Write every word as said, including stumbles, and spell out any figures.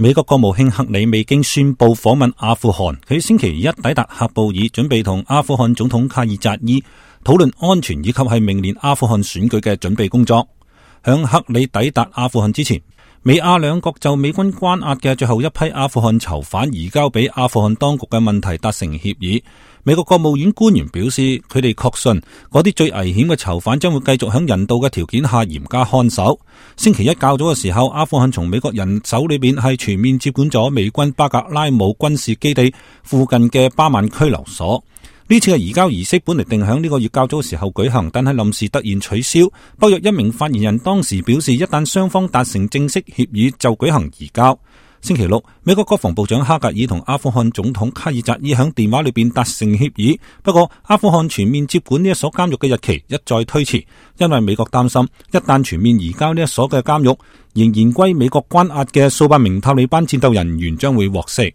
美國國務卿克里未經宣布訪問阿富汗，佢星期一抵達喀布爾，準備同阿富汗總統卡爾扎伊討論安全以及係明年阿富汗選舉嘅準備工作。響克里抵達阿富汗之前，美阿兩國就美軍關押嘅最後一批阿富汗囚犯移交俾阿富汗當局嘅問題達成協議。美國國務院官員表示，佢哋確信嗰啲最危險嘅囚犯將會繼續響人道嘅條件下嚴加看守。星期一較早嘅時候，阿富汗從美國人手裏邊係全面接管咗美軍巴格拉姆軍事基地附近嘅巴曼拘留所。呢次嘅移交儀式本嚟定響呢個月較早嘅時候舉行，但係臨時突然取消。北約一名發言人當時表示，一旦雙方達成正式協議就舉行移交。星期六，美國國防部長哈格爾同阿富汗總統卡爾扎伊響電話裏邊達成協議，不過阿富汗全面接管呢一所監獄嘅日期一再推遲，因為美國擔心一旦全面移交呢一所嘅監獄，仍然歸美國關押嘅數百名塔利班戰鬥人員將會獲釋。